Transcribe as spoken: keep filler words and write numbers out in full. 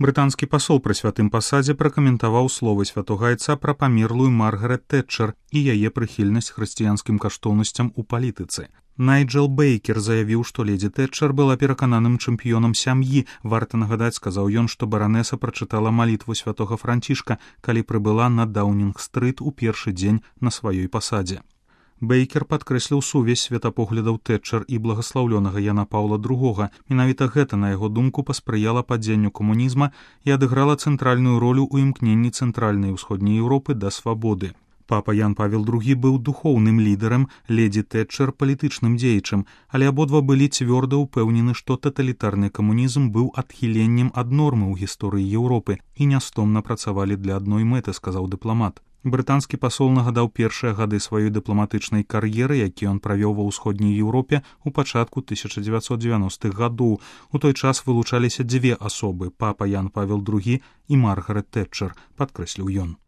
Брытанскі пасол пры святым пасадзе пракаментаваў словы святога айца пра памерлую Маргарет Тэтчер і яе прыхільнасць хрысціянскім каштоўнасцям у палітыцы. Найджел Бейкер заявіў, што ледзі Тэтчер была перакананым чэмпіёнам сям'і. Варта нагадаць, сказаў ён, што баранеса прачытала малітву святога Францішка, калі прыбыла на Даўнінг-стрыт у першы дзень на сваёй пасадзе. Бейкер падкрэсліў сувязь светапоглядаў Тэтчер і благаслаўлёнага Яна Паўла другога. Менавіта гэта, на яго думку, паспрыяла падзенню камунізма і адыграла цэнтральную ролю ў імкненні цэнтральнай і ўсходняй Еўропы да свабоды. Папа Ян Павел другі быў духоўным лідарам, ледзі Тэтчер палітычным дзеячам, але абодва былі цвёрда ўпэўнены, што таталітарны камунізм быў адхіленнем ад нормы ў гісторыі Еўропы і нястомна працавалі для адной мэты, сказаў дыпламат. Брытанскі пасол нагадаў першыя гады сваёй дыпламатычнай кар'еры, які ён правёў ва ўсходняй Еўропе ў пачатку тысяча дзевяцьсот дзевяностых гадоў. У той час вылучаліся дзве асобы – папа Ян Павел другі і Маргарет Тэтчер, падкрэсліў ён.